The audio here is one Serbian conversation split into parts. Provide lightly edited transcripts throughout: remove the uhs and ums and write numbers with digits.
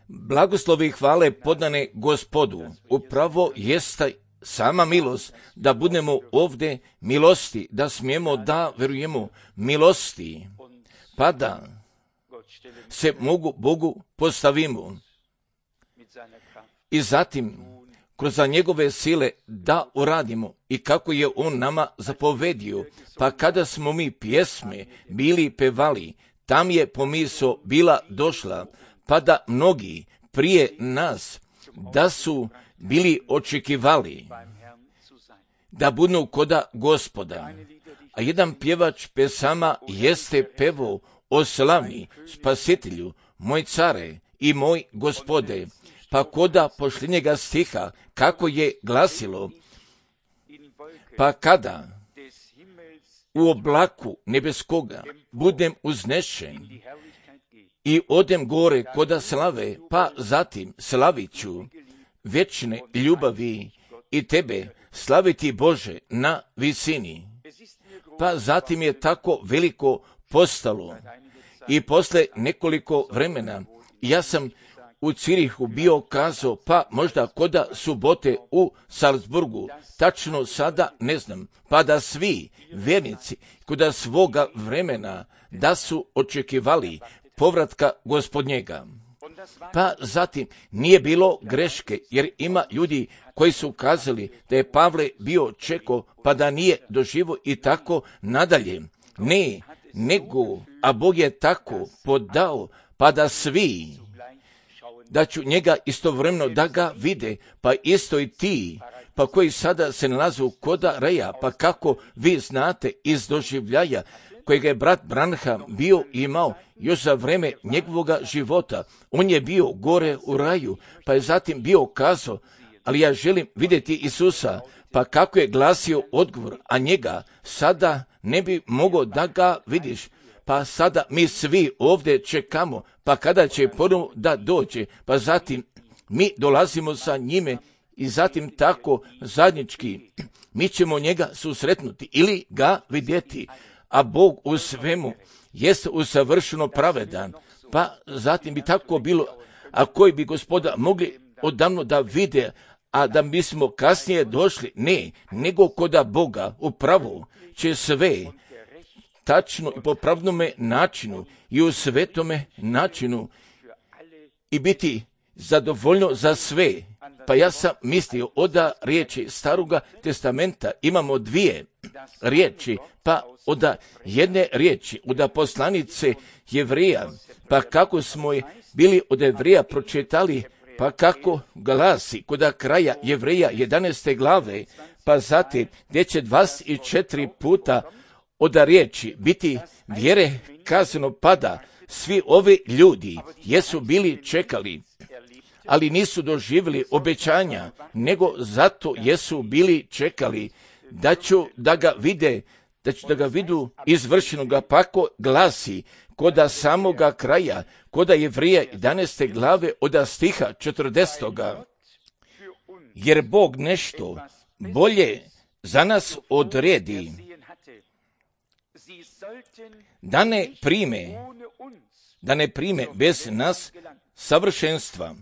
Blagoslovi i hvale podane Gospodu, upravo jeste sama milost da budemo ovdje milosti, da smijemo da verujemo milosti, pa da se Bogu postavimo i zatim kroz njegove sile da uradimo i kako je on nama zapovedio, pa kada smo mi pjesme bili pevali, tam je pomisao bila došla, pa da mnogi prije nas da su bili očekivali da budu koda Gospoda. A jedan pjevač pesama jeste pevao o slavni Spasitelju, moj care i moj Gospode, pa koda posljednjega stiha kako je glasilo, pa kada u oblaku nebeskoga budem uznešen i odem gore koda slave, pa zatim slavit ću vječne ljubavi i tebe slaviti Bože na visini. Pa zatim je tako veliko postalo i posle nekoliko vremena ja sam u Cirihu bio kazao, pa možda koda subote u Salzburgu, tačno sada ne znam, pa da svi vjernici koda svoga vremena da su očekivali povratka Gospodnjega. Pa zatim nije bilo greške, jer ima ljudi koji su kazali da je Pavle bio čekao pa da nije doživo i tako nadalje. Ne, nego, a Bog je tako podao pa da svi, da ću njega istovremeno da ga vide, pa isto i ti, pa koji sada se nalaze koda Reja, pa kako vi znate iz doživljaja kojega je brat Branham bio imao još za vreme njegovoga života. On je bio gore u raju, pa je zatim bio kazao, ali ja želim vidjeti Isusa, pa kako je glasio odgovor, a njega sada ne bi mogao da ga vidiš. Pa sada mi svi ovdje čekamo, pa kada će ponovo da dođe, pa zatim mi dolazimo sa njime i zatim tako zajednički mi ćemo njega susretnuti ili ga vidjeti. A Bog u svemu jest usavršeno pravedan, pa zatim bi tako bilo, a koji bi Gospoda mogli odavno da vide, a da bismo kasnije došli, ne, nego koda Boga upravo će sve tačno i po pravnome načinu i u svetome načinu i biti zadovoljno za sve. Pa ja sam mislio od riječi Staroga testamenta imamo dvije riječi, pa od jedne riječi, od poslanice Jevreja, pa kako smo je bili od Jevreja pročitali, pa kako glasi kod kraja Jevreja 11. glave, pa zatim gdje će 24 puta od riječi biti vjere kazano pada. Svi ovi ljudi jesu bili čekali, ali nisu doživjeli obećanja, nego zato jesu bili čekali da ću da ga vide, da ću da ga vidu izvršenoga, pako glasi koda samoga kraja, koda Jevreja 11. glave od stiha 40. Jer Bog nešto bolje za nas odredi, da ne prime bez nas savršenstva,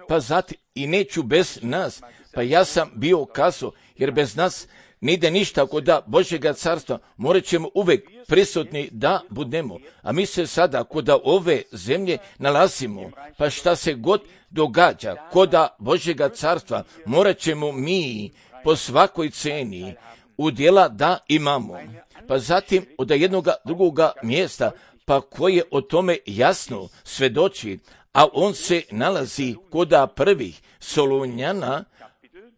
pa zatim i neću bez nas, pa ja sam bio kazao, jer bez nas ne ide ništa kod Božjega carstva, morat ćemo uvek prisutni da budemo, a mi se sada kod ove zemlje nalazimo, pa šta se god događa kod Božjega carstva, morat ćemo mi po svakoj ceni udjela da imamo. Pa zatim od jednoga drugoga mjesta, pa koje o tome jasno svedoči, a on se nalazi kod prvih Solunjana,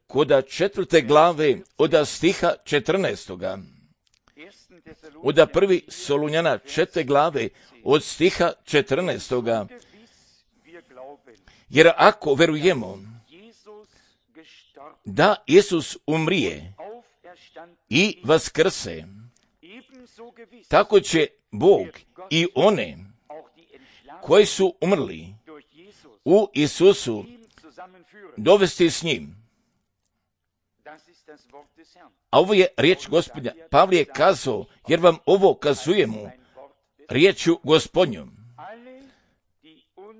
kod 4. glave od stiha 14. Od prvi Solunjana 4. glave od stiha 14. Jer ako verujemo da Isus umrije i vaskrse, tako će Bog i one koji su umrli u Isusu dovesti s njim. A ovo je riječ Gospodnja. Pavle je kazao, jer vam ovo kazujemo riječju Gospodnjom.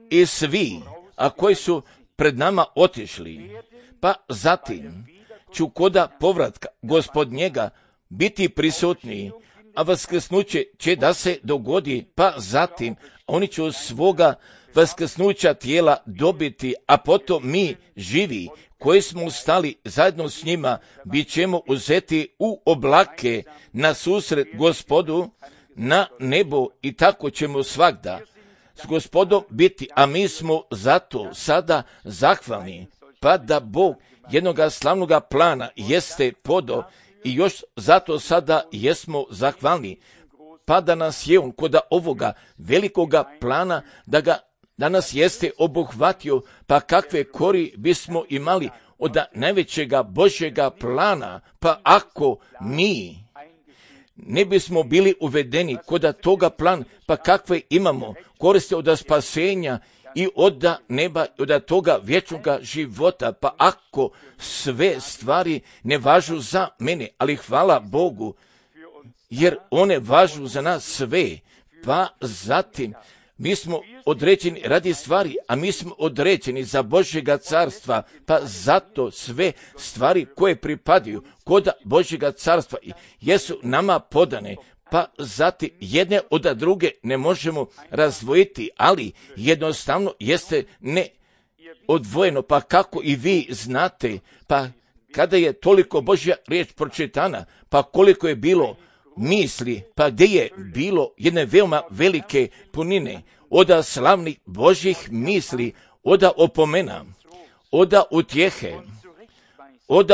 i svi, a koji su pred nama otišli, pa zatim ću koda povratka Gospodnjega biti prisutni, a vaskrsnuće će da se dogodi, pa zatim oni će svoga vaskrsnuća tijela dobiti, a potom mi živi, koji smo ustali zajedno s njima, bit ćemo uzeti u oblake na susret Gospodu na nebo i tako ćemo svagda s Gospodom biti, a mi smo zato sada zahvalni, pa da Bog jednoga slavnoga plana jeste podao i još zato sada jesmo zahvalni, pa da nas je on kod ovoga velikoga plana, da nas jeste obuhvatio, pa kakve kori bismo imali od najvećega Božjega plana, pa ako mi ne bismo bili uvedeni kod toga plana, pa kakve imamo koriste od spasenja i od neba, od toga vječnoga života, pa ako sve stvari ne važu za mene, ali hvala Bogu, jer one važu za nas sve, pa zatim mi smo određeni radi stvari, a mi smo određeni za Božjega carstva, pa zato sve stvari koje pripadaju kod Božjega carstva jesu nama podane, pa zatim jedne od druge ne možemo razdvojiti, ali jednostavno jeste ne odvojeno, pa kako i vi znate, pa kada je toliko Božja riječ pročitana, pa koliko je bilo misli, pa gdje je bilo jedne veoma velike punine, od slavnih Božjih misli, od opomena, od utjehe, od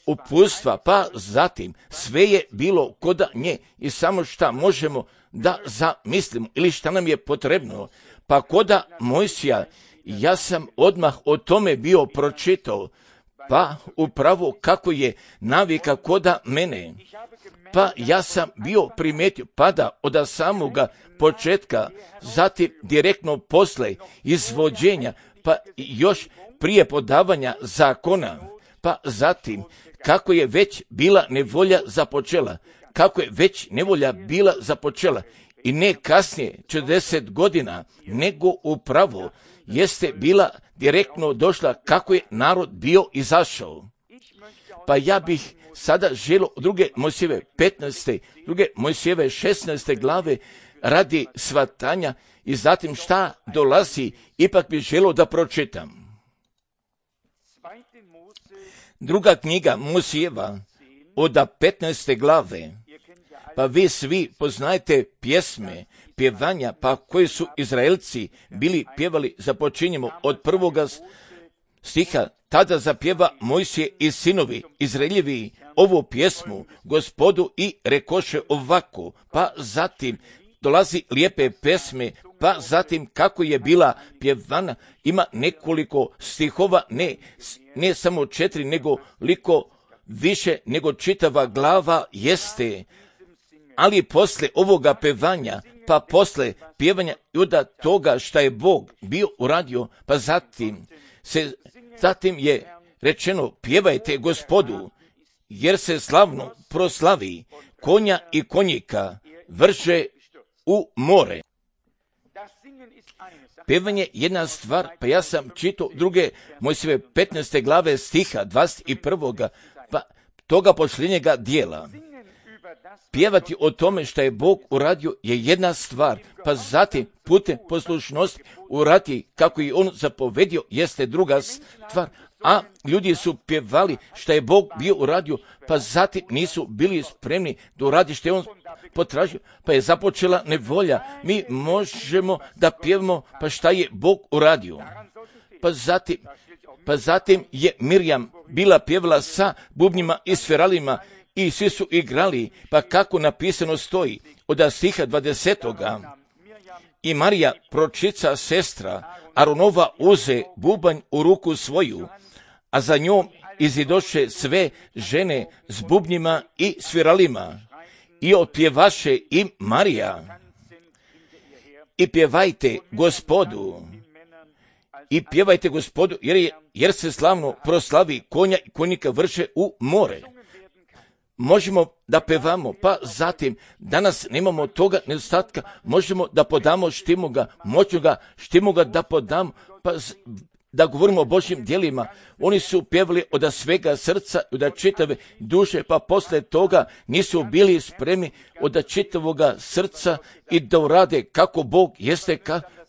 uputstva, pa zatim sve je bilo kod nje i samo šta možemo da zamislimo ili šta nam je potrebno. Pa kod Mojsija, ja sam odmah o tome bio pročitao, pa upravo kako je navika kod mene, pa ja sam bio primijetio, pa da od samoga početka, zatim direktno posle izvođenja, pa još prije podavanja zakona, pa zatim kako je već bila nevolja započela, kako je već nevolja bila započela i ne kasnije 40 godina, nego upravo jeste bila direktno došla kako je narod bio izašao. Pa ja bih sada želio druge Mojsijeve 15. druge Mojsijeve 16. glave radi svatanja i zatim šta dolazi, ipak bih želio da pročitam. Druga knjiga Mojsijeva od 15. glave, pa vi svi poznajete pjesme, pjevanja, pa koji su Izraelci bili pjevali, započinjemo od prvoga stiha, tada zapjeva Mojsije i sinovi Izraeljevi ovu pjesmu Gospodu i rekoše ovako, pa zatim dolazi lijepe pesme, pa zatim kako je bila pjevana, ima nekoliko stihova, ne samo 4, nego liko više nego čitava glava jeste, ali posle ovoga pevanja, pa posle pjevanja i od toga šta je Bog bio uradio, pa zatim je rečeno pjevajte Gospodu, jer se slavno proslavi, konja i konjika vrše u more. Pjevanje jedna stvar, pa ja sam čitao druge Mojsijeve 15. glave stiha 21. pa toga posljednjega dijela. Pjevati o tome što je Bog uradio je jedna stvar, pa zatim putem poslušnosti urati kako je on zapovedio jeste druga stvar, a ljudi su pjevali što je Bog bio uradio, pa zatim nisu bili spremni da uradi što je on potražio, pa je započela nevolja. Mi možemo da pjevamo pa šta je Bog uradio. Pa zatim je Mirjam bila pjevala sa bubnjima i sferalima i svi su igrali, pa kako napisano stoji od stiha 20. I Marija, pročica sestra Aronova, uze bubanj u ruku svoju, a za njom izidoše sve žene s bubnjima i sviralima i otpjevaše im Marija. I pjevajte Gospodu, jer se slavno proslavi, konja i konjika vrše u more. možemo da pevamo, pa zatim danas nemamo toga nedostatka, možemo da podamo štimoga, moćnoga štimoga da podamo, pa da govorimo o Božjim djelima. Oni su pjevali od svega srca, od čitave duše, pa posle toga nisu bili spremni od čitavoga srca i da urade kako Bog jeste,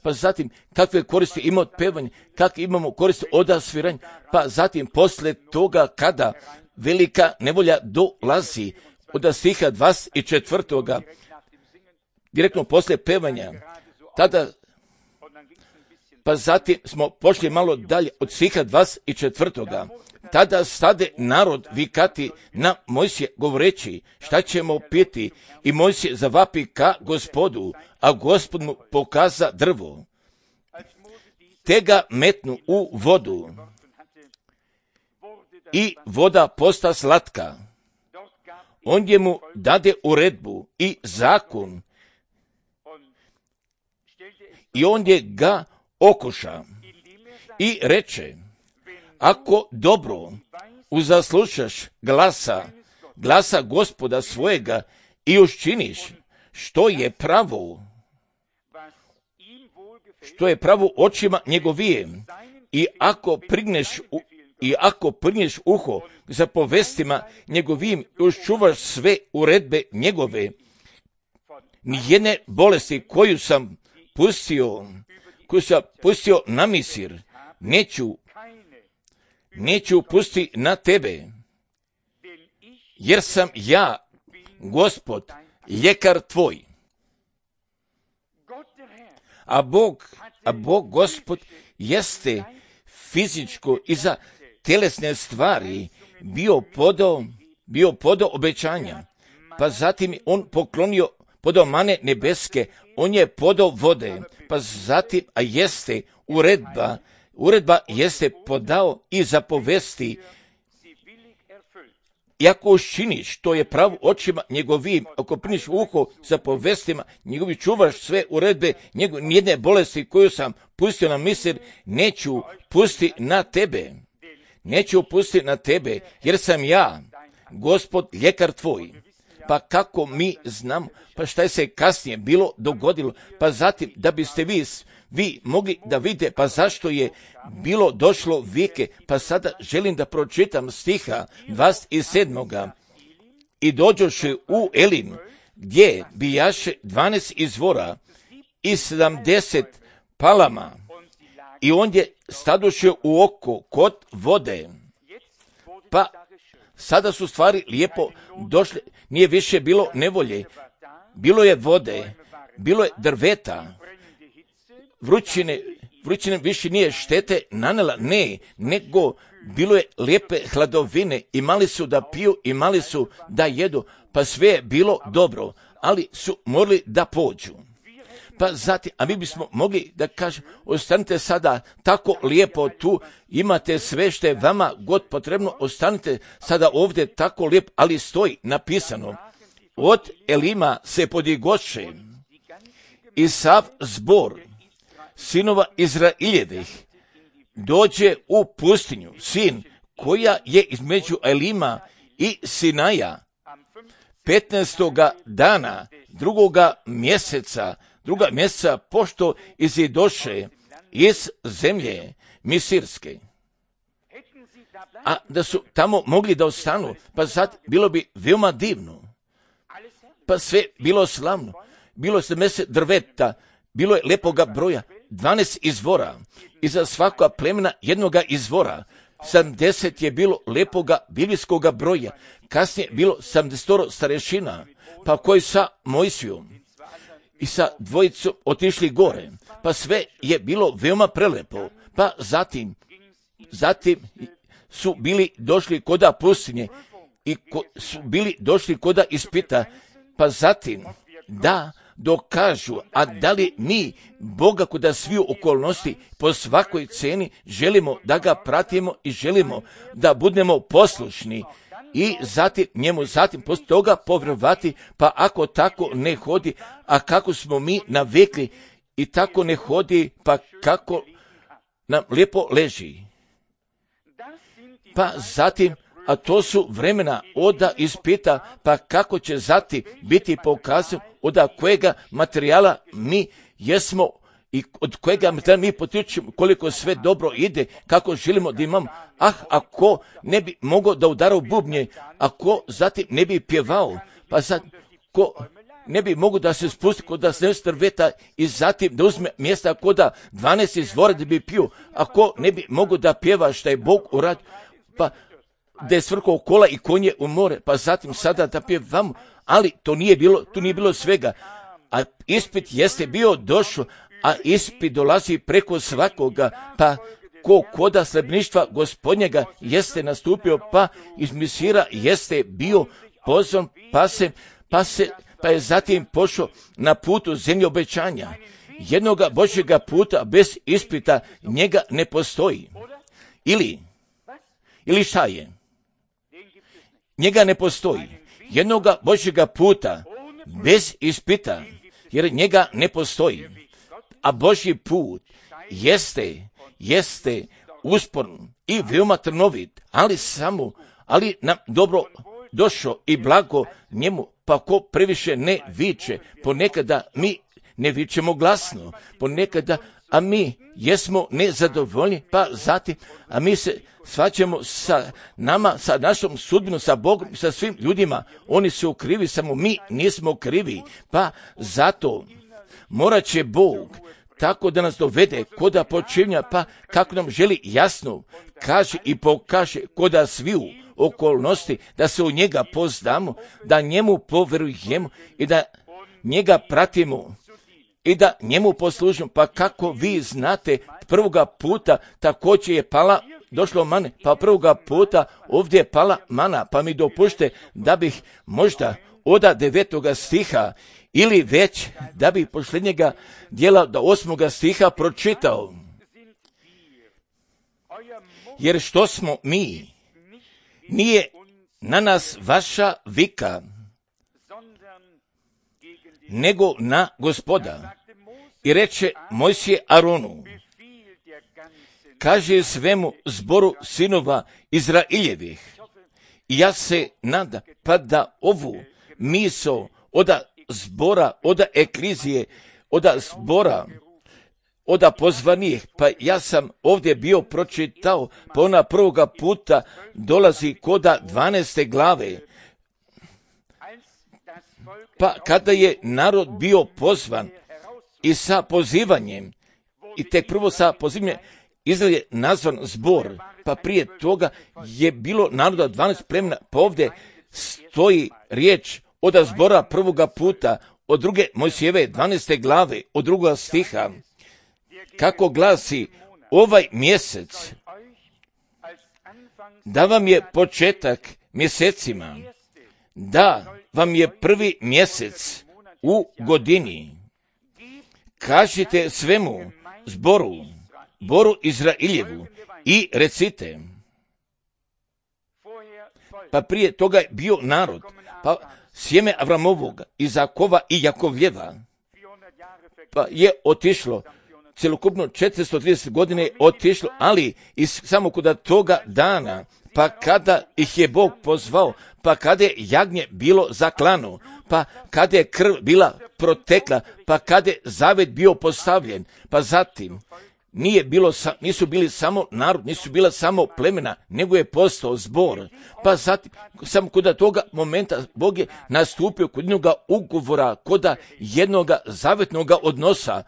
pa zatim kakve koristi ima od pevanja, kakve imamo koristi od sviranja, pa zatim posle toga kada velika nevolja dolazi od stiha 24. direktno posle pevanja, tada pa zatim smo pošli malo dalje od stiha 24. Tada stade narod vikati na Mojsije govoreći šta ćemo piti, i Mojsije zavapi ka Gospodu, a Gospod mu pokaza drvo. Te ga metnu u vodu i voda posta slatka. On je mu dade uredbu i zakon i on je ga okuša i reče, ako dobro uzaslušaš glasa Gospoda svojega i učiniš što je pravo očima njegovije, i ako prigneš uho za povestima njegovim i učuvaš sve uredbe njegove, nijedne bolesti koju sam pustio na Misir, neću pustiti na tebe, jer sam ja, Gospod, ljekar tvoj. A Bog, Gospod, jeste fizičko i za telesne stvari bio podao obećanja, pa zatim on podao mane nebeske, on je podao vode, pa zatim, a jeste uredba jeste podao i zapovesti. I ako učiniš, to je pravo očima njegovim, ako priniš uho za povestima njegovi, čuvaš sve uredbe, nijedne bolesti koju sam pustio na Misir, neću pustiti na tebe, jer sam ja, Gospod, ljekar tvoj. Pa kako mi znamo, pa šta je se kasnije bilo dogodilo, pa zatim da biste vi mogli da vidite, pa zašto je bilo došlo vike, pa sada želim da pročitam stiha 27. I dođoše u Elim, gdje bijaše 12 izvora i 70 palama, i on je stadoše u oko kod vode. Pa sada su stvari lijepo došle, nije više bilo nevolje, bilo je vode, bilo je drveta, vrućine više nije štete nanela, nego bilo je lijepe hladovine, imali su da piju, imali su da jedu, pa sve je bilo dobro, ali su morali da pođu. Pa zatim, a mi bismo mogli da kažemo, ostanite sada tako lijepo tu, imate sve što je vama god potrebno, ostanite sada ovdje tako lijepo, ali stoji napisano, od Elima se podigoše i sav zbor sinova Izraeljevih dođe u pustinju, sin koja je između Elima i Sinaja, 15. dana druga mjeseca, pošto izidoše iz zemlje Misirske. A da su tamo mogli da ostanu, pa sad bilo bi veoma divno. Pa sve bilo slavno, bilo 70 drveta, bilo je lepoga broja, 12 izvora, i za svakoga plemena jednoga izvora. 70 je bilo lepoga biblijskoga broja, kasnije bilo 70 starešina, pa koji sa Mojsijom i sa dvojicom otišli gore, pa sve je bilo veoma prelepo, pa zatim su bili došli koda pustinje i su bili došli koda ispita, pa zatim da dokažu, a da li mi Boga koda sviju okolnosti po svakoj ceni želimo da ga pratimo i želimo da budemo poslušni i zatim poslije toga povjerovati, pa ako tako ne hodi, a kako smo mi navikli i tako ne hodi, pa kako nam lijepo leži. Pa zatim a to su vremena oda ispita, pa kako će zatim biti pokazano od kojega materijala mi jesmo i od kojega materijala mi potičemo, koliko sve dobro ide, kako želimo da imamo. Ako ne bi mogao da udara u bubnje, ako zatim ne bi pjevao, pa sad ko ne bi mogao da se spusti kod da se strveta i zatim da uzme mjesta kod da 12 izvora da bi pio, ako ne bi mogao da pjeva šta je Bog uradio, pa da je svrkao kola i konje u more, pa zatim sada da pjevamo, ali tu nije bilo svega. A ispit jeste bio došao, a ispit dolazi preko svakoga, pa koda slebništva Gospodnjega jeste nastupio, pa iz Misira jeste bio pozvan, pa je zatim pošao na putu zemlje obećanja. Jednoga Božjega puta bez ispita njega ne postoji. Ili šta je? Njega ne postoji. Jednoga Božjega puta bez ispita, jer njega ne postoji. A Božji put jeste usporn i veoma trnovit, ali nam dobro došao i blago njemu, pa ko previše ne viče, ponekada mi ne vičemo glasno, ponekada, a mi jesmo nezadovoljni, pa zatim, a mi se svađamo sa nama, sa našom sudbinom, sa Bogom, sa svim ljudima, oni su krivi, samo mi nismo krivi, pa zato morat će Bog tako da nas dovede koda počinja, pa kako nam želi jasno kaže i pokaže koda sviju okolnosti, da se u njega poznamo, da njemu poverujemo i da njega pratimo i da njemu poslužimo. Pa kako vi znate, prvoga puta također je došlo mane, pa prvoga puta ovdje je pala mana, pa mi dopušte da bih možda od 9. stiha ili već da bih posljednjega dijela do 8. stiha pročitao. Jer što smo mi, nije na nas vaša vika, nego na Gospoda. I reče Mojsije Aronu, kaže svemu zboru sinova Izraeljevih, i ja se nadam, pa da ovu misao od zbora, od eklizije, od zbora, od pozvanih, pa ja sam ovdje bio pročitao, pa ona prvoga puta dolazi koda 12. glave. Pa kada je narod bio pozvan i sa pozivanjem, i tek prvo sa pozivanjem, Izrael je nazvan zbor, pa prije toga je bilo naroda 12 plemena, pa ovdje stoji riječ od zbora prvoga puta, od druge Mojsijeve 12. glave, od 2. stiha, kako glasi ovaj mjesec, da vam je početak mjesecima, da vam je prvi mjesec u godini. Kažite svemu zboru Izraeljevu i recite. Pa prije toga je bio narod, pa sjeme Avramovog, Izakova i Jakovljeva, pa je otišlo, celokupno 430 godine je otišlo, ali samo kod toga dana, pa kada ih je Bog pozvao, pa kada je jagnje bilo zaklano, pa kada je krv bila protekla, pa kada je zavet bio postavljen, pa zatim nisu bili samo narod, nisu bila samo plemena, nego je postao zbor. Pa zatim, samo kod toga momenta Bog je nastupio kod jednoga ugovora, kod jednoga zavetnoga odnosa,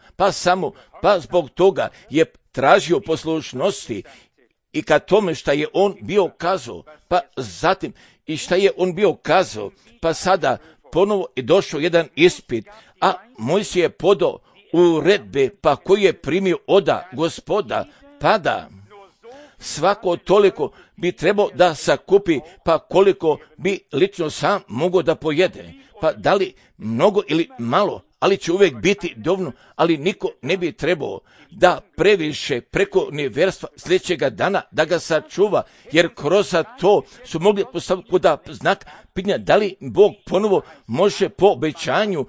pa zbog toga je tražio poslušnosti i ka tome šta je on bio kazao, pa zatim i šta je on bio kazao, pa sada ponovo je došao jedan ispit, a Mojsije je podao uredbe, pa koji je primio od Gospoda, pada. Svako toliko bi trebao da sakupi, pa koliko bi lično sam mogao da pojede. Pa da li mnogo ili malo, ali će uvijek biti dovoljno, ali niko ne bi trebao da previše preko nevjerstva sljedećega dana da ga sačuva, jer kroz to su mogli postaviti kod znak pitanja da li Bog ponovo može po obećanju,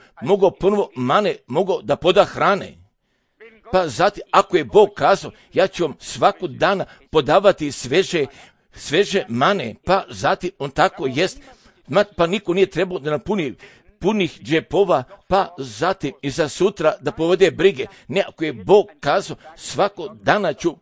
mogao da poda hrane. Pa zatim, ako je Bog kazao, ja ću vam svaku dana podavati sveže sveže mane, pa zatim on tako jest, pa niko nije trebao da napuni punih džepova, pa zatim i za sutra da povede brige. Ne, ako je Bog kazao, svako dana ću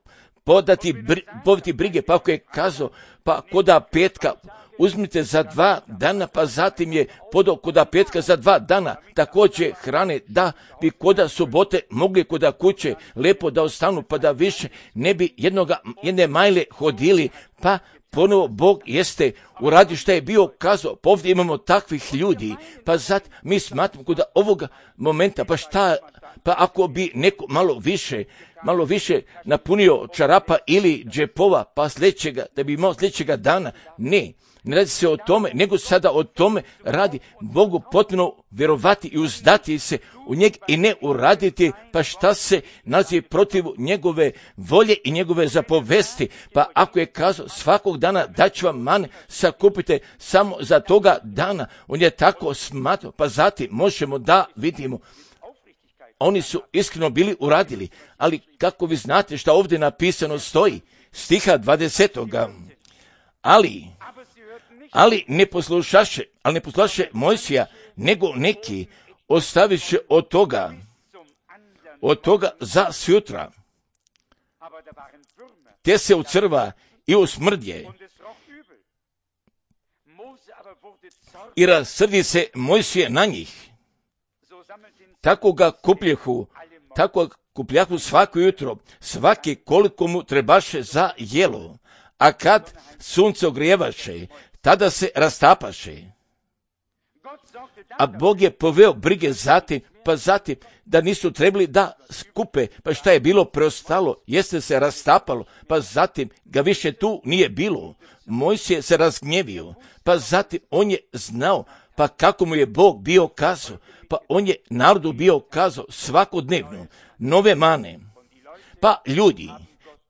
povesti brige, pa ako je kazao, pa koda petka, uzmite za 2 dana, pa zatim je podao koda petka za 2 dana, također hrane da bi koda subote mogli koda kuće lepo da ostanu, pa da više ne bi jedne majle hodili, pa ponovo Bog jeste uradio što je bio kazao. Pa ovdje imamo takvih ljudi, pa zato mi smatramo kod ovoga momenta, pa šta, pa ako bi neko malo više napunio čarapa ili džepova, pa da bi imao sljedećega dana, ne radi se o tome, nego sada o tome radi Bogu potpuno vjerovati i uzdati se u njeg i ne uraditi, pa šta se nalazi protiv njegove volje i njegove zapovesti. Pa ako je kazao svakog dana da ću vam mane, sakupite samo za toga dana, on je tako smatrao, pa zatim možemo da vidimo. Oni su iskreno bili uradili, ali kako vi znate šta ovdje napisano stoji, stiha 20. Ali ne poslušaše Mojsija, nego neki ostaviše od toga za sutra. Te se ucrva i usmrdje. I rasrdi se Mojsije na njih. Tako ga kupljahu svako jutro, svaki koliko mu trebaše za jelo. A kad sunce ogrijevaše, tada se rastapaše. A Bog je poveo brige zatim, pa zatim da nisu trebali da skupe, pa šta je bilo preostalo, jeste se rastapalo, pa zatim ga više tu nije bilo. Mojsije se razgnjevio, pa zatim on je znao, pa kako mu je Bog bio kazao, pa on je narodu bio kazao svakodnevno nove mane. Pa ljudi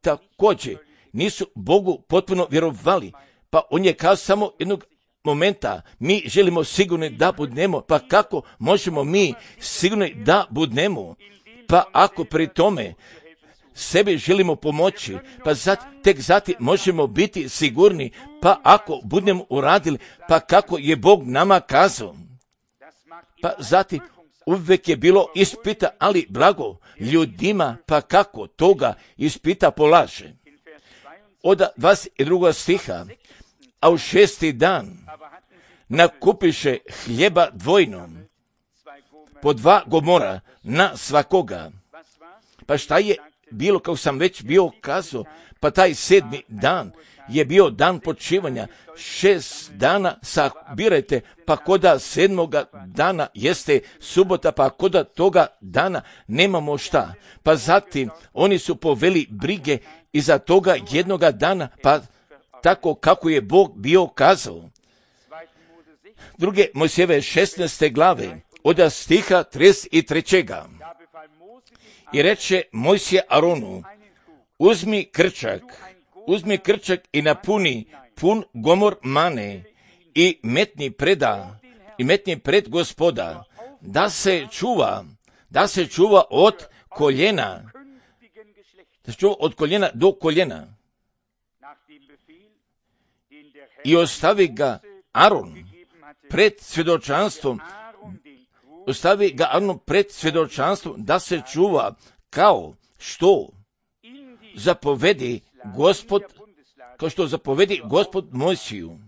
također nisu Bogu potpuno vjerovali, pa on je kazao samo jednog momenta, mi želimo sigurni da budemo, pa kako možemo mi sigurni da budemo, pa ako pri tome sebi želimo pomoći, pa tek zatim možemo biti sigurni, pa ako budemo uradili, pa kako je Bog nama kazao. Pa zatim uvijek je bilo ispita, ali blago ljudima, pa kako toga ispita polaže. Od 22. stiha, a u 6. dan nakupiše hljeba dvojno, po 2 gomora na svakoga. Pa šta je bilo, kao sam već bio kazao, pa taj 7. dan je bio dan počivanja, 6 dana sabirajte, pa koda 7. dana jeste subota, pa koda toga dana nemamo šta. Pa zatim oni su poveli brige iza toga jednoga dana, pa tako kako je Bog bio kazao. 2. Mojsijeve 16. glave, od stiha 33. I reče Mojsije Aronu, uzmi krčak i napuni pun gomor mane i metni pred Gospoda, da se čuva od koljena do koljena. I ostavi ga Aron pred svjedočanstvom, da se čuva kao što zapovedi Gospod Mojsiju.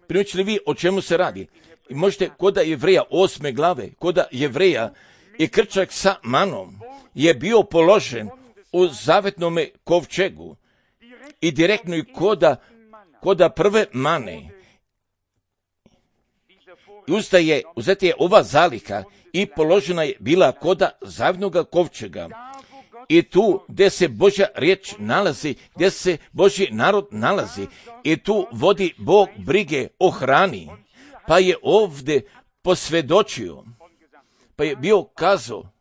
Primijećili vi o čemu se radi? I možete koda Jevreja 8. glave, koda Jevreja i krčak sa manom je bio položen u zavetnome kovčegu i direktno i koda prve mane. Uzeta je ova zaliha i položena je bila koda zavetnoga kovčega. I tu gdje se Božja riječ nalazi, gdje se Božji narod nalazi, i tu vodi Bog brige o hrani. Pa je ovdje posvjedočio, pa je bio kazao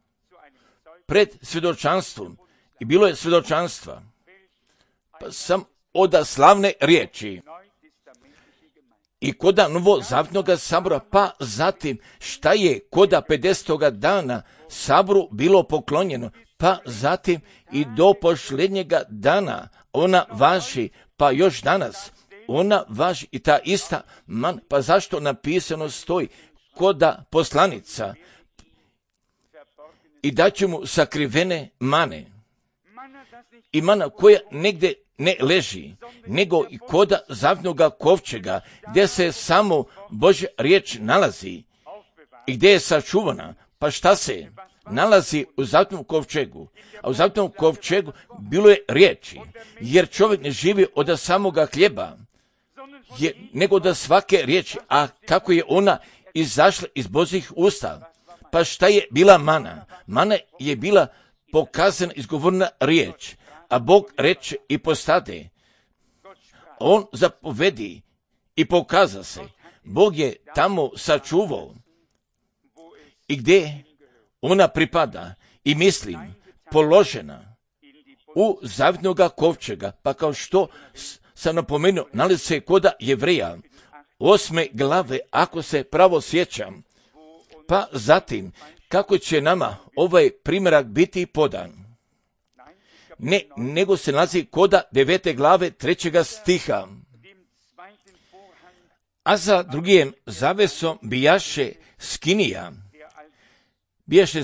pred svjedočanstvom, i bilo je svjedočanstva. Pa sam od slavne riječi i koda novozavjetnoga sabora, pa zatim šta je koda 50. dana saboru bilo poklonjeno, pa zatim i do posljednjega dana ona važi, pa još danas ona važi i ta ista man, pa zašto napisano stoji koda poslanica i daće mu sakrivene mane i mana koja negdje ne leži, nego i koda zavnoga kovčega, gdje se samo Božja riječ nalazi i gdje je sačuvana. Pa šta se nalazi u zavnom kovčegu? A u zavnom kovčegu bilo je riječi, jer čovjek ne živi od samoga hljeba, nego od svake riječi. A kako je ona izašla iz Božjih usta? Pa šta je bila mana? Mana je bila pokazana, izgovorna riječ, a Bog reče i postade. On zapovedi i pokaza se. Bog je tamo sačuvao i gdje ona pripada i mislim položena u zavitnoga kovčega, pa kao što sam napomenuo, nalazi se koda Jevreja 8. glave, ako se pravo sjećam. Pa zatim, kako će nama ovaj primjerak biti podan? Ne, nego se nalazi koda 9. glave 3. stiha. A za drugim zavesom bijaše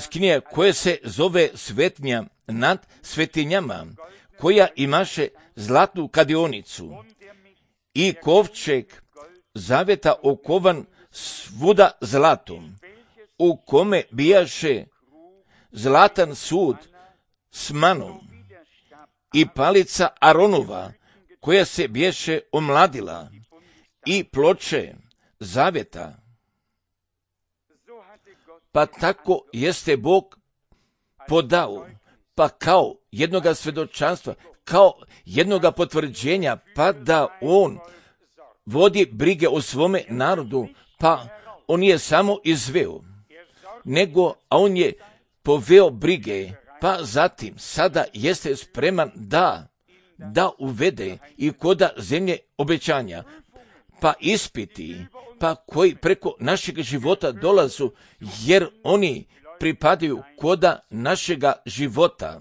skinija koja se zove svetnja nad svetinjama, koja imaše zlatnu kadionicu i kovčeg zaveta okovan svuda zlatom, u kome bijaše zlatan sud s manom i palica Aronova, koja se biješe omladila, i ploče zaveta. Pa tako jeste Bog podao, pa kao jednoga svjedočanstva, kao jednoga potvrđenja, pa da on vodi brige o svome narodu, pa on je samo izveo, a on je poveo brige, pa zatim sada jeste spreman da uvede i koda zemlje obećanja, pa ispiti, pa koji preko našeg života dolazu, jer oni pripadaju koda našega života,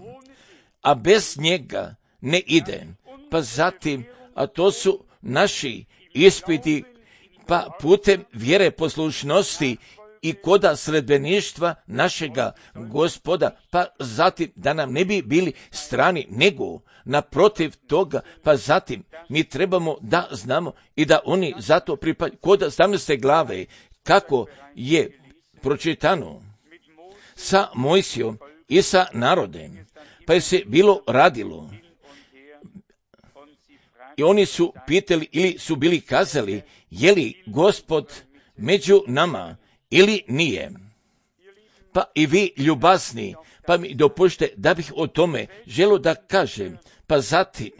a bez njega ne ide. Pa zatim, a to su naši ispiti, pa putem vjere poslušnosti i koda sledbeništva našega Gospoda, pa zatim da nam ne bi bili strani, nego naprotiv toga, pa zatim mi trebamo da znamo i da oni zato pripadaju. Koda 17. glave, kako je pročitano sa Mojsijom i sa narodem, pa je se bilo radilo. I oni su pitali ili su bili kazali, je li Gospod među nama ili nije. Pa i vi ljubazni, pa mi dopušte da bih o tome želio da kažem. Pa zatim,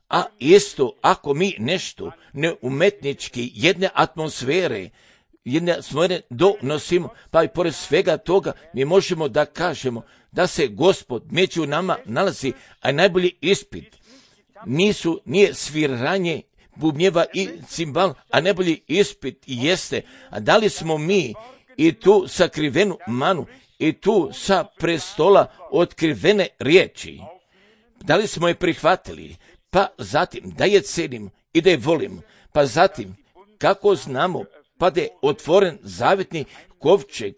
a isto ako mi nešto neumetnički jedne atmosfere donosimo, pa i pored svega toga mi možemo da kažemo da se Gospod među nama nalazi, a najbolji ispit nije sviranje bubnjeva i cimbal, a najbolji ispit jeste, a da li smo mi i tu sakrivenu manu i tu sa prestola otkrivene riječi, da li smo je prihvatili, pa zatim da je cenim i da je volim, pa zatim kako znamo, pa da je otvoren zavjetni kovčeg,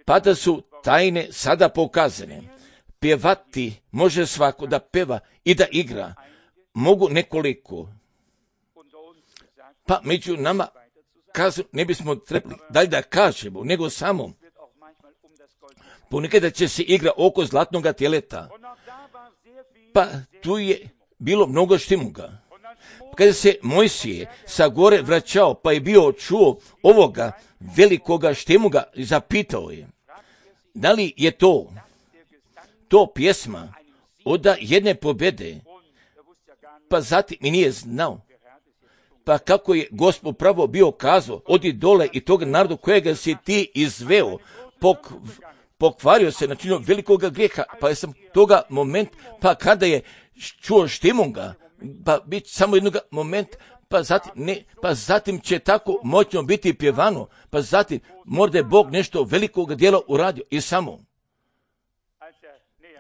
pa da su tajne sada pokazane. Pjevati može svako da peva i da igra, mogu nekoliko. Pa među nama ne bismo trebali dalje da kažemo, nego samo ponekada će se igra oko zlatnoga tjeleta. Pa tu je bilo mnogo štimuga. Kada se Mojsije sa gore vraćao, pa je bio čuo ovoga velikoga štimuga i zapitao je, da li je to pjesma od jedne pobjede? Pa zatim mi nije znao. Pa kako je Gospod pravo bio kazao, odi dole i tog narodu kojega si ti izveo, pokvario se, načinio velikoga grijeha, pa je sam toga moment, pa kada je čuo štimunga, pa bit samo jednog momenta, pa zatim će tako moćno biti pjevano, pa zatim možda je Bog nešto velikoga djela uradio i samo.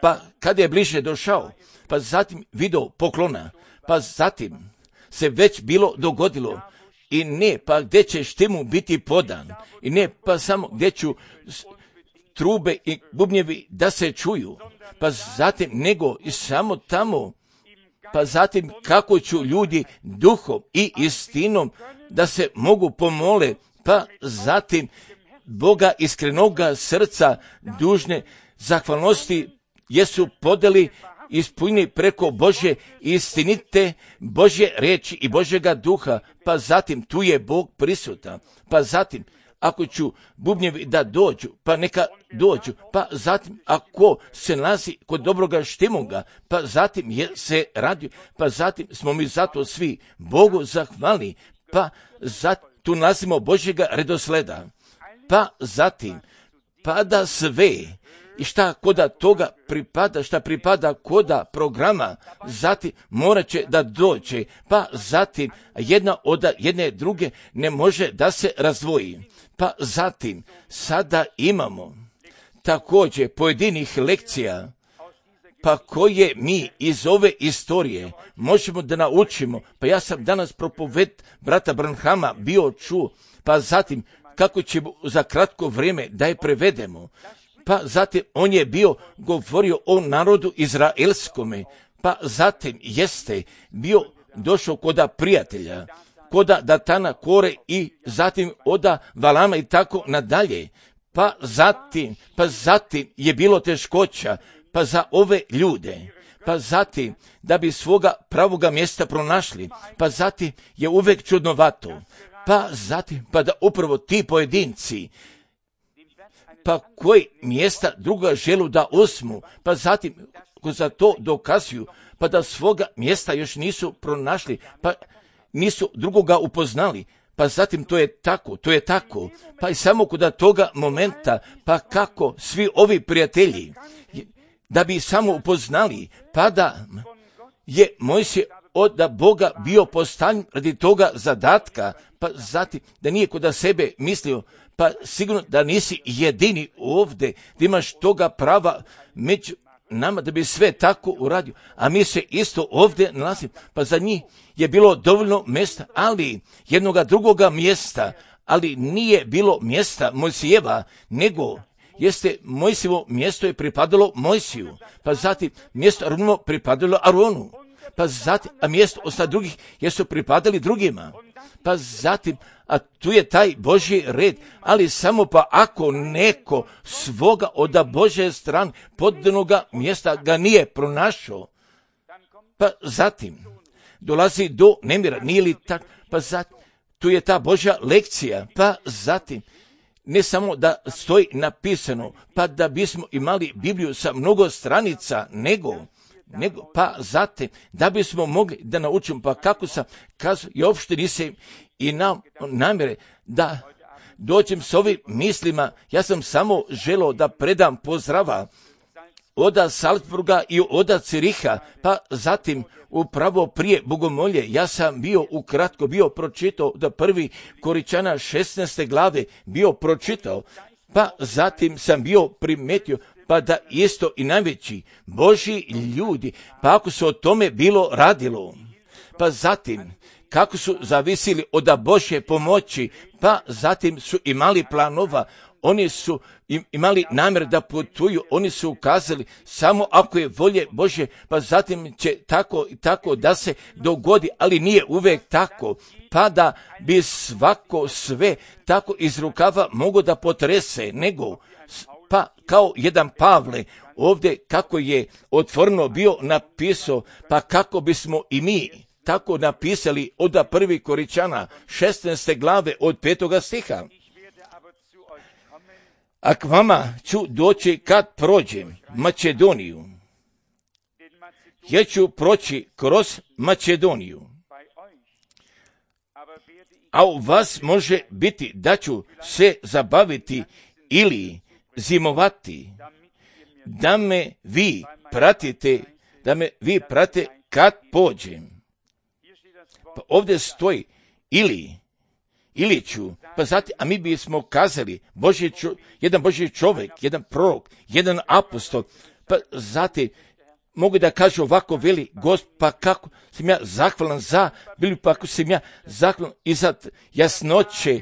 pa kad je bliže došao, pa zatim video poklona, pa zatim se već bilo dogodilo, i ne pa gdje će štimu biti podan, i ne pa samo gdje ću trube i bubnjevi da se čuju, pa zatim nego i samo tamo, pa zatim kako ću ljudi duhom i istinom da se mogu pomole, pa zatim Boga iskrenoga srca dužne zahvalnosti jesu podeli ispunjeni preko Božje istinite, Božje riječi i Božjega duha, pa zatim tu je Bog prisutan, pa zatim ako ću bubnjevi da dođu, pa neka dođu, pa zatim ako se nalazi kod dobroga štimoga, pa zatim se radi, pa zatim smo mi zato svi Bogu zahvalni, pa zatim tu nalazimo Božjega redosleda, pa zatim pada sve i šta koda toga pripada, šta pripada koda programa, zatim morat će da dođe, pa zatim jedna od jedne druge ne može da se razdvoji. Pa zatim sada imamo također pojedinih lekcija, pa koje mi iz ove istorije možemo da naučimo. Pa ja sam danas propoved brata Branhama bio čuo, pa zatim kako ćemo za kratko vrijeme da je prevedemo. Pa zatim on je bio govorio o narodu izraelskome, pa zatim jeste bio došao koda prijatelja, koda Datana, Kore i zatim oda Valama i tako nadalje. Pa zatim je bilo teškoća, pa za ove ljude, pa zatim da bi svoga pravoga mjesta pronašli, pa zatim je uvek čudnovato, pa zatim pa da upravo ti pojedinci, pa koji mjesta druga želu da osmu, pa zatim ko za to dokazuju, pa da svoga mjesta još nisu pronašli, pa nisu drugoga upoznali, pa zatim to je tako, pa i samo kod toga momenta, pa kako svi ovi prijatelji, da bi samo upoznali, pa da je Mojsije od Boga bio postavljen radi toga zadatka, pa zatim da nije kod sebe mislio, pa sigurno da nisi jedini ovdje, da imaš toga prava među nama da bi sve tako uradio, a mi se isto ovdje nalazimo, pa za njih je bilo dovoljno mjesta, ali jednoga drugoga mjesta, ali nije bilo mjesta Mojsijeva, nego jeste Mojsijevo mjesto je pripadalo Mojsiju, pa zatim mjesto Aronovo pripadalo Aronu, pa zatim, a mjesto ostali drugih jesu pripadali drugima, pa zatim, a tu je taj Božji red, ali samo pa ako neko svoga od Božje strane podanoga mjesta ga nije pronašao, pa zatim dolazi do nemira, nije li tako, pa zatim tu je ta Božja lekcija, pa zatim ne samo da stoji napisano, pa da bismo imali Bibliju sa mnogo stranica, nego pa zatim da bismo mogli da naučimo, pa kako sam kazao, i uopšte nisam i namjere da dođem s ovim mislima, ja sam samo želeo da predam pozdrava oda Salzburga i oda Ciriha, pa zatim upravo prije bogomolje, ja sam ukratko bio pročitao da prvi Koričana 16. glave bio pročitao, pa zatim sam bio primetio, pa da isto i najveći Božji ljudi, pa ako se o tome bilo radilo, pa zatim kako su zavisili od Božje pomoći, pa zatim su imali planova, oni su imali namjer da putuju, oni su ukazali samo ako je volje Božje, pa zatim će tako i tako da se dogodi, ali nije uvijek tako, pa da bi svako sve tako iz rukava mogo da potrese, nego pa kao jedan Pavle ovdje kako je otvoreno bio napisao, pa kako bismo i mi tako napisali od prvi Koričana 16. glave od 5. stiha. A k vama ću doći kad prođem Makedoniju. Ja ću proći kroz Makedoniju. A u vas može biti da ću se zabaviti ili zimovati, da me vi pratite kad pođem. Pa ovdje stoji ili ću, pa zatim, a mi bismo kazali jedan Božji čovjek, jedan prorok, jedan apostol, Pa zatim mogu da kažu ovako, veli Gospod, pa kako sam ja zahvalan za, bili pa ako sam ja zahvalan i za jasnoće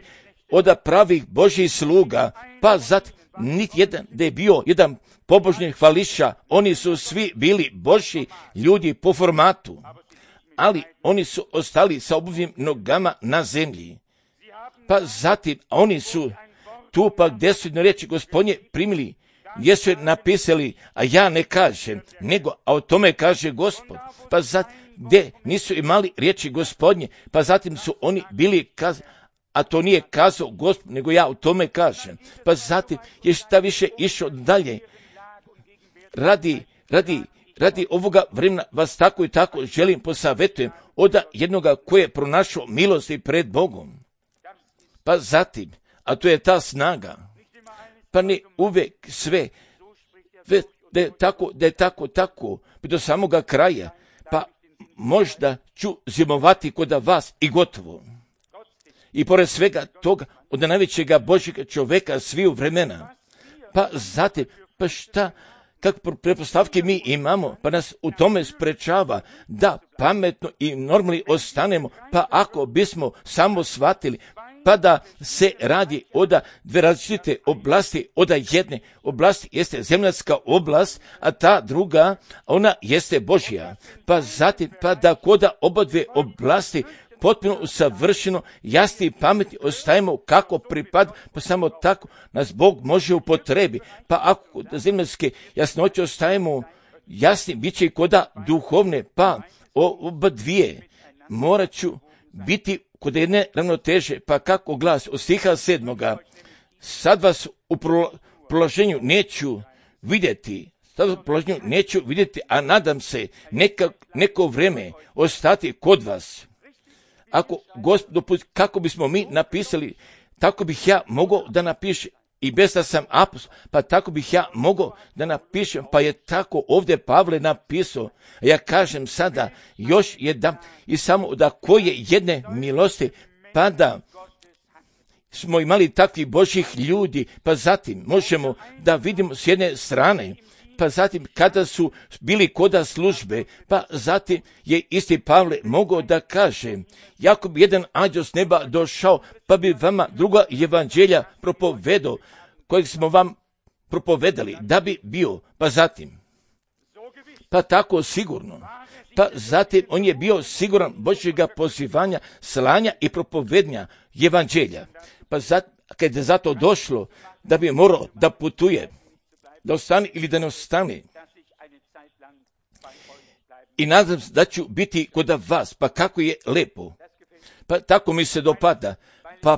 od pravih Božjih sluga, pa zatim niti jedan da je bio jedan pobožni hvališa, oni su svi bili Božji ljudi po formatu, ali oni su ostali sa obuvim nogama na zemlji. Pa zatim oni su tu pa gdje su jedno riječi Gospodnje primili, gdje su je napisali, a ja ne kažem, nego, a o tome kaže Gospod. Pa zatim gdje nisu imali riječi Gospodnje, pa zatim su oni bili kazali, a to nije kazao Gospod, nego ja o tome kažem. Pa zatim je šta više išao dalje. Radi ovoga vremena vas tako i tako želim posavjetujem od jednoga koji je pronašao milosti pred Bogom. Pa zatim, a to je ta snaga, pa ne uvijek sve, da je tako, do samoga kraja, pa možda ću zimovati kod vas i gotovo. I pored svega toga, od najvećega Božjega čovjeka sviju vremena, pa zatim, pa šta, kakve pretpostavke mi imamo, pa nas u tome sprečava da pametno i normalno ostanemo, pa ako bismo samo shvatili, pa da se radi od dve različite oblasti, od jedne oblasti jeste zemaljska oblast, a ta druga, ona jeste Božja. Pa zatim, pa da kod oba dve oblasti potpuno usavršeno, jasni i pametni ostajemo kako pripada, pa samo tako nas Bog može upotrebi. Pa ako da zemaljske jasnoće ostajemo jasni, bit će i koda duhovne, pa oba dvije morat ću biti kod jedne ravnoteže, pa kako glas od stiha 7. Sad vas u proloženju neću vidjeti, a nadam se neko vrijeme ostati kod vas. Ako Gospod dopusti, kako bismo mi napisali, tako bih ja mogao da napišem, i bez da sam apostol, pa tako bih ja mogao da napišem, pa je tako ovdje Pavle napisao. Ja kažem sada još jedan, i samo da koje jedne milosti, pa da smo imali takvih Božjih ljudi, pa zatim možemo da vidimo s jedne strane, pa zatim kada su bili koda službe, pa zatim je isti Pavle mogao da kaže, jako bi jedan anđeo s neba došao, pa bi vama druga evanđelja propovedao, kojeg smo vam propovedali, da bi bio, pa zatim, pa tako sigurno, pa zatim on je bio siguran Božjega pozivanja, slanja i propovednja evanđelja, pa zatim, kad je zato došlo, da bi morao da putuje, da ostane ili da ne ostane. I nadam se da ću biti kod vas, pa kako je lepo. Pa tako mi se dopada. Pa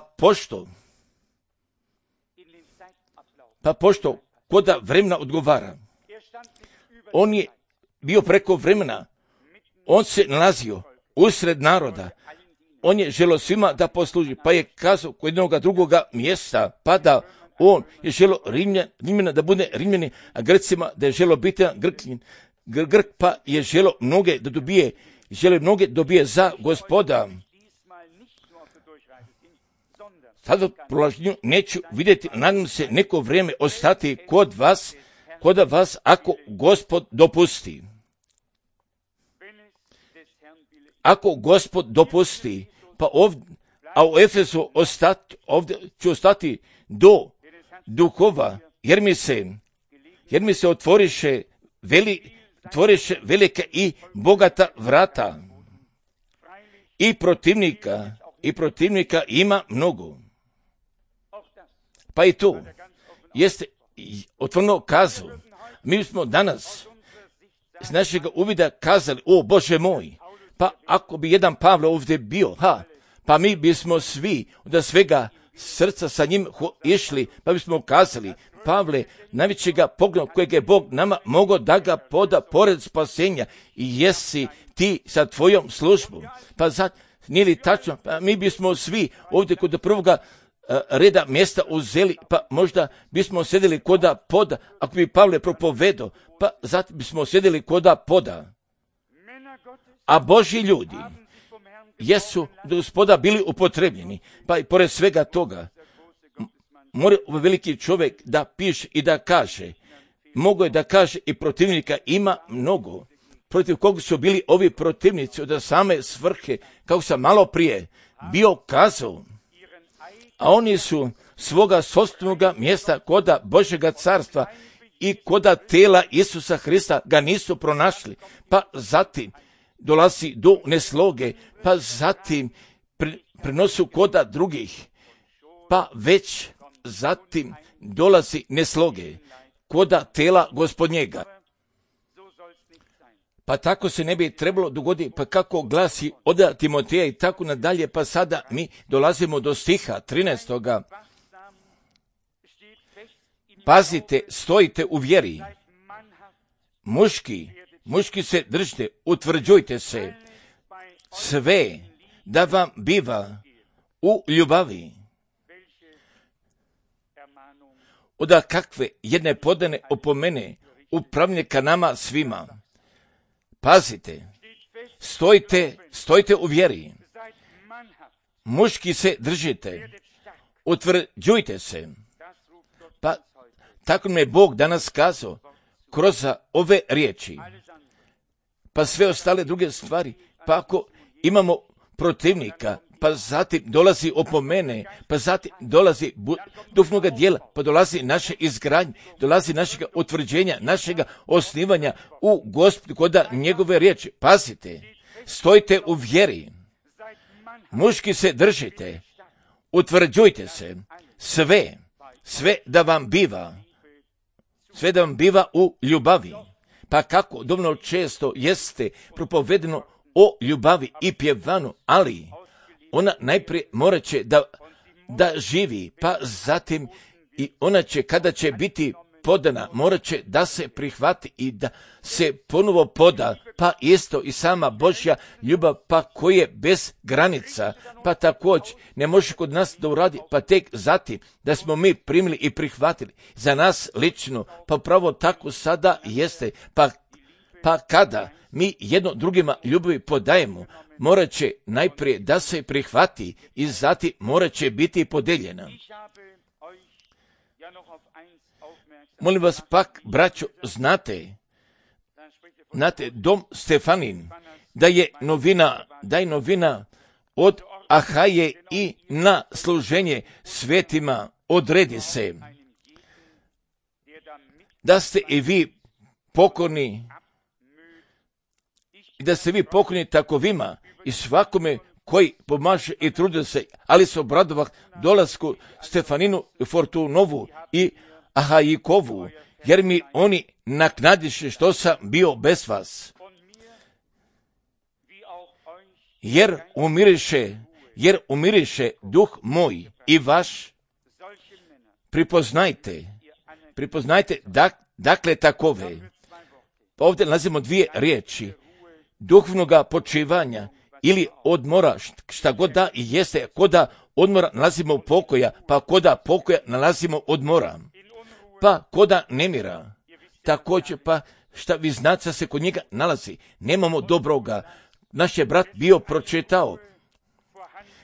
pošto koda vremena odgovara. On je bio preko vremena. On se nalazio usred naroda. On je želio svima da posluži, pa je kazao kod jednog drugoga mjesta, pa da on je želio Rimljana da bude Rimljani, a Grcima da je želio biti Grk, pa je želio mnoge dobije za Gospoda. Sada prolaženju neću vidjeti, nadam se neko vrijeme ostati kod vas ako Gospod dopusti. Ako Gospod dopusti, pa ovdje, a u Efesu ovdje ću ostati do duhova, jer mi se otvoriše velika i bogata vrata. I protivnika ima mnogo. Pa i tu jeste otvoreno kazao. Mi smo danas s našeg uvida kazali, o Bože moj, pa ako bi jedan Pavle ovdje bio, pa mi bismo svi od svega srca sa njim išli, pa bismo kazali, Pavle, najvećega pogleda kojeg je Bog nama mogao da ga poda pored spasenja, i jesi ti sa tvojom službom. Pa sad, nije li tačno, pa mi bismo svi ovdje kod prvoga reda mjesta uzeli, pa možda bismo sjedili koda poda, ako bi Pavle propovedao, pa zatim bismo sjedili koda poda. A Božji ljudi jesu do Gospoda bili upotrebljeni, pa i pored svega toga mora ovaj veliki čovjek da piše i da kaže, Mogu je da kaže i protivnika ima mnogo. Protiv kog su bili ovi protivnici od same svrhe, kako sam malo prije bio kazao. A oni su svoga sopstvenoga mjesta koda Božjega carstva i koda tela Isusa Hrista ga nisu pronašli. Pa zatim dolazi do nesloge, pa zatim prenosu koda drugih, pa već zatim dolazi nesloge koda tela Gospodnjega. Pa tako se ne bi trebalo dogoditi, pa kako glasi od Timoteja i tako nadalje, pa sada mi dolazimo do stiha 13. Pazite, stojite u vjeri. Muški se držite, utvrđujte se, sve da vam biva u ljubavi. Oda kakve jedne podane opomene upravlja ka nama svima. Pazite, stojite u vjeri. Muški se držite, utvrđujte se. Pa tako mi je Bog danas kazao kroz ove riječi. Pa sve ostale druge stvari, pa ako imamo protivnika, pa zatim dolazi opomene, pa zatim dolazi duhovnoga dijela, pa dolazi naše izgradnje, dolazi našega utvrđenja, našega osnivanja u Gospodu koda njegove riječi. Pazite, stojite u vjeri, muški se držite, utvrđujte se, sve da vam biva u ljubavi. Pa kako dovoljno često jeste propovedeno o ljubavi i pjevanu, ali ona najprije morat će da živi, pa zatim i ona će, kada će biti podana, morat će da se prihvati i da se ponovo poda, pa isto i sama Božja ljubav, pa koja je bez granica, pa također ne može kod nas da uradi, pa tek zatim da smo mi primili i prihvatili za nas lično, pa pravo tako sada jeste, pa kada mi jedno drugima ljubavi podajemo, morat će najprije da se prihvati i zatim morat će biti podeljena. Molim vas pak, braćo, znate, dom Stefanin, da je novina od Ahaje i na služenje svetima odredi se. Da ste i vi pokorni, i da ste vi pokorni takovima i svakome koji pomaže i trudi se, ali se obradovah dolasku Stefaninu, Fortunovu i Ahajikovu, jer mi oni naknadiše što sam bio bez vas. Jer umiriše duh moj i vaš, pripoznajte dakle takove. Pa ovdje nalazimo dvije riječi, duhovnoga počivanja ili odmora, šta god da i jeste, koda odmora nalazimo pokoja, pa koda pokoja nalazimo odmora, pa koda nemira, također pa šta vi znate se kod njega nalazi, nemamo dobroga. Naš je brat bio pročitao,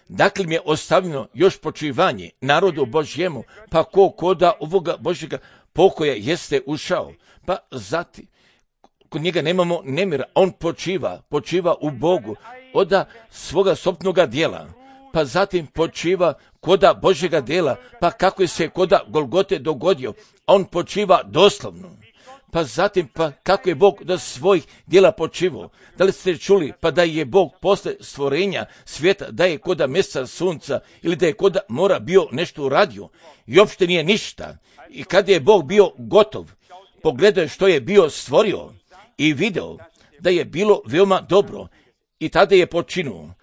dakle mi je ostavljeno još počivanje narodu Božjemu, pa koda ovoga Božjega pokoja jeste ušao, pa zatim kod njega nemamo nemira, on počiva u Bogu, oda svoga sopnoga dijela, pa zatim počiva koda Božjega dijela, pa kako je se koda Golgote dogodio, on počiva doslovno. Pa zatim, pa kako je Bog do svojih dijela počivao. Da li ste čuli, pa da je Bog posle stvorenja svijeta, da je koda mjeseca sunca ili da je koda mora bio nešto uradio i uopšte nije ništa. I kad je Bog bio gotov, pogledao je što je bio stvorio i video da je bilo veoma dobro i tada je počinuo.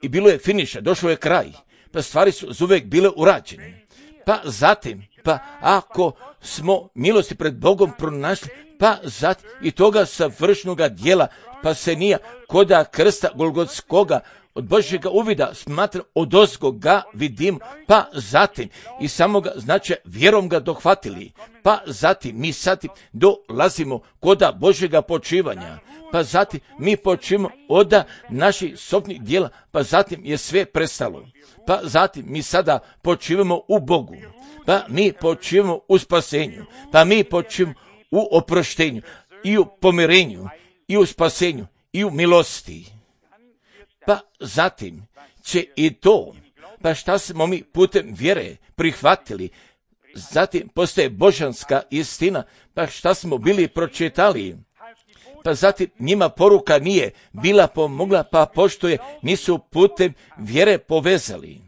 I bilo je finiša, došao je kraj, pa stvari su uvijek bile urađene. Pa zatim, pa ako smo milosti pred Bogom pronašli, pa zatim i toga savršenoga dijela, pa se nije koda krsta Golgotskoga od Božjega uvida smatra odozgo ga vidim, pa zatim i samoga znači vjerom ga dohvatili, pa zatim mi zatim dolazimo koda Božjega počivanja, pa zatim mi počivamo od naših sopnih dijela, pa zatim je sve prestalo, pa zatim mi sada počivamo u Bogu, pa mi počivamo u spasenju, pa mi počivamo u oproštenju, i u pomirenju, i u spasenju, i u milosti. Pa zatim će i to, pa šta smo mi putem vjere prihvatili, zatim postaje božanska istina, pa šta smo bili pročitali, pa zatim njima poruka nije bila pomogla, pa pošto je nisu putem vjere povezali.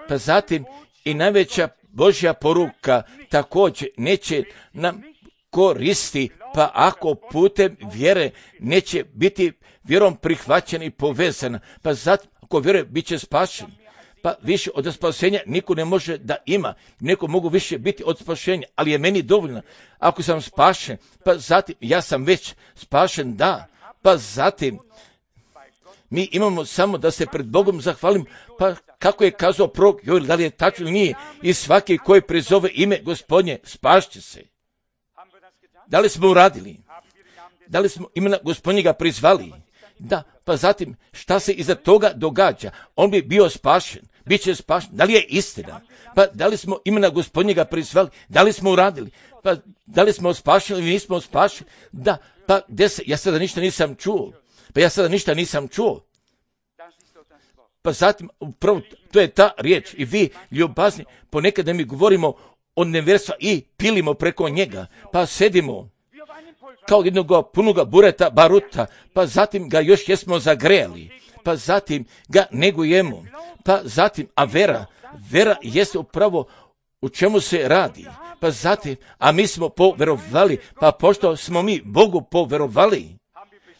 Pa zatim i najveća Božja poruka također neće nam koristi, pa ako putem vjere neće biti vjerom prihvaćena i povezana, pa zatim ako vjeruje bit će spašen. Pa više od spasenja niko ne može da ima, neko mogu više biti od spašenja, ali je meni dovoljno. Ako sam spašen, pa zatim ja sam već spašen, da, pa zatim mi imamo samo da se pred Bogom zahvalim, pa kako je kazao prorok Joel, da li je tačno ili nije, i svaki koji prizove ime Gospodnje spašće se. Da li smo uradili? Da li smo imena Gospodnjega prizvali? Da, pa zatim šta se iza toga događa? On bi bio spašen, bit će spašen. Da li je istina? Pa da li smo imena Gospodnjega prizvali? Da li smo uradili? Pa da li smo spašeni ili nismo spašeni? Da, pa gdje se? Ja sada ništa nisam čuo. Pa zatim, upravo, to je ta riječ. I vi, ljubazni, ponekad mi govorimo o nevjerstva i pilimo preko njega. Pa sedimo kao jednog punoga bureta, baruta, pa zatim ga još jesmo zagrejali, pa zatim ga negujemo, pa zatim, a vera jeste upravo u čemu se radi, pa zatim, a mi smo poverovali, pa pošto smo mi Bogu poverovali,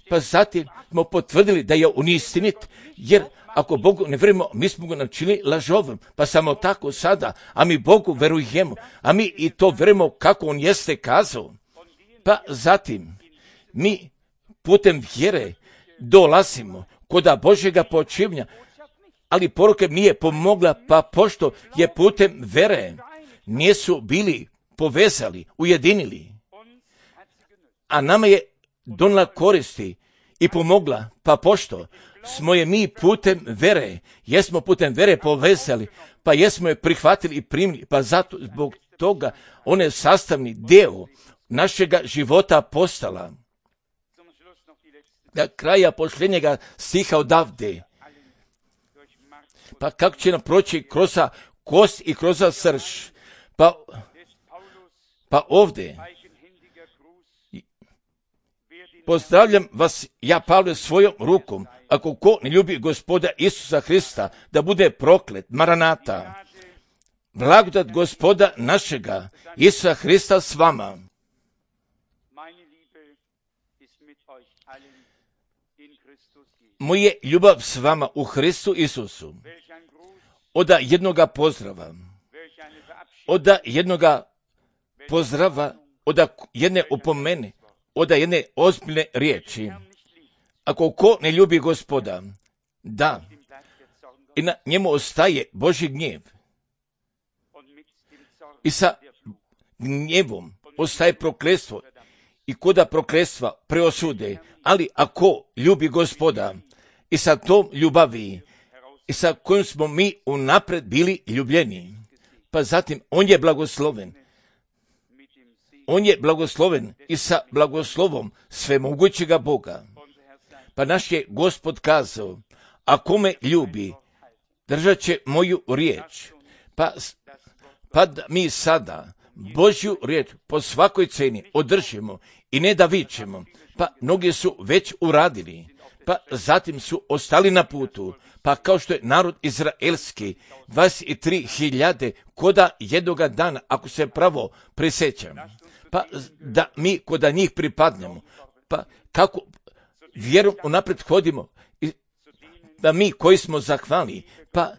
pa zatim smo potvrdili da je on istinit, jer ako Bogu ne vjerujemo, mi smo ga načinili lažovim, pa samo tako sada, a mi Bogu verujemo, a mi i to vjerujemo kako on jeste kazao. Pa zatim, mi putem vjere dolazimo kod Božjega počivnja, ali poruka nije pomogla, pa pošto je putem vjere nisu bili povezali, ujedinili, a nama je donijela koristi i pomogla, pa pošto smo je mi putem vjere, jesmo putem vjere povezali, pa jesmo je prihvatili i primili, pa zato zbog toga on je sastavni dio našega života postala. Da kraja posljednjega stiha odavde. Pa kako će nam proći kroz kost i kroz srž. Pa ovdje pozdravljam vas ja, Pavle, svojom rukom. Ako ko ne ljubi Gospoda Isusa Hrista, da bude proklet. Maranata. Blagodat Gospoda našega Isusa Hrista s vama. Moje ljubav s vama u Hristu Isusu. Oda jednoga pozdrava, oda jedne opomene, oda jedne ozbiljne riječi. Ako ko ne ljubi Gospoda, da, i na njemu ostaje Božji gnjev. I sa gnjevom ostaje prokletstvo i koda prokletstva preosude, ali ako ljubi Gospoda i sa tom ljubavi i sa kojom smo mi unapred bili ljubljeni, pa zatim on je blagosloven. On je blagosloven i sa blagoslovom svemogućega Boga. Pa naš je Gospod kazao, ako me ljubi, držat će moju riječ. Pa da mi sada Božju riječ po svakoj ceni održimo i ne da vičemo, pa mnogi su već uradili, pa zatim su ostali na putu, pa kao što je narod izraelski, 23.000 koda jednoga dana, ako se pravo prisjećam, pa da mi koda njih pripadnemo, pa kako vjerom unaprijed hodimo, da mi koji smo zahvalni, pa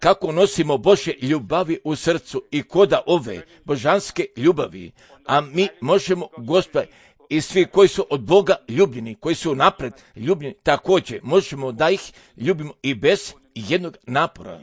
kako nosimo Božje ljubavi u srcu i koda ove božanske ljubavi, a mi možemo, Gospod, i svi koji su od Boga ljubljeni, koji su napred ljubljeni, također možemo da ih ljubimo i bez jednog napora.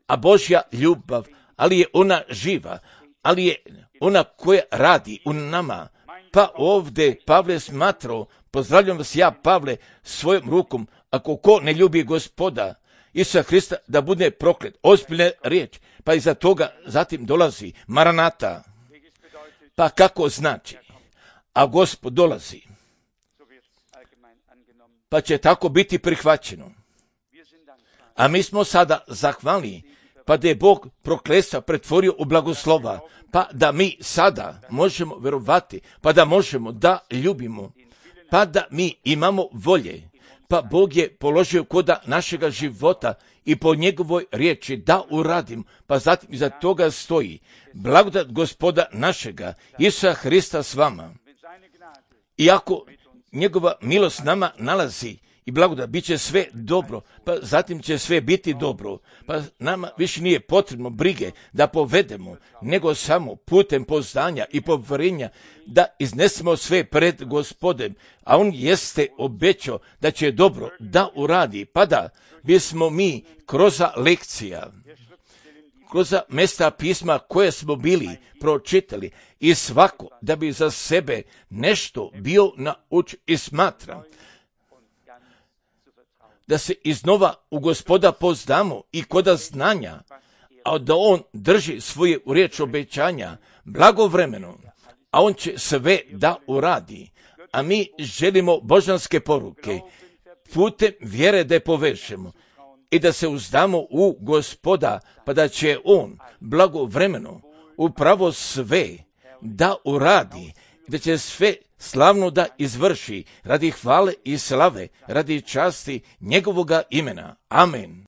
A Božja ljubav, ali je ona živa, ali je ona koja radi u nama. Pa ovdje Pavle smatrao, pozdravljam vas ja, Pavle, svojom rukom, ako ko ne ljubi Gospoda Isusa Hrista, da bude proklet. Ozbiljna riječ. Pa iza toga zatim dolazi Maranata. Pa kako znači? A Gospod dolazi. Pa će tako biti prihvaćeno. A mi smo sada zahvalni, pa da je Bog prokletstva pretvorio u blagoslova, pa da mi sada možemo vjerovati, pa da možemo da ljubimo, pa da mi imamo volje, pa Bog je položio koda našega života i po njegovoj riječi da uradim, pa zatim iza toga stoji blagodat Gospoda našega, Isusa Hrista s vama. Iako njegova milost nama nalazi i blagodat, bit će sve dobro, pa zatim će sve biti dobro, pa nama više nije potrebno brige da povedemo, nego samo putem poznanja i povjerenja da iznesemo sve pred Gospodem, a on jeste obećao da će dobro da uradi, pa da bismo mi kroz lekcija, kroz mesta pisma koje smo bili pročitali i svako da bi za sebe nešto bio nauč i smatra, da se iznova u Gospoda poznamo i koda znanja, a da on drži svoje u riječ obećanja blagovremeno, a on će sve da uradi. A mi želimo božanske poruke putem vjere da je povežemo i da se uzdamo u Gospoda, pa da će on blagovremeno upravo sve da uradi, da će sve slavno da izvrši radi hvale i slave, radi časti njegovoga imena. Amen.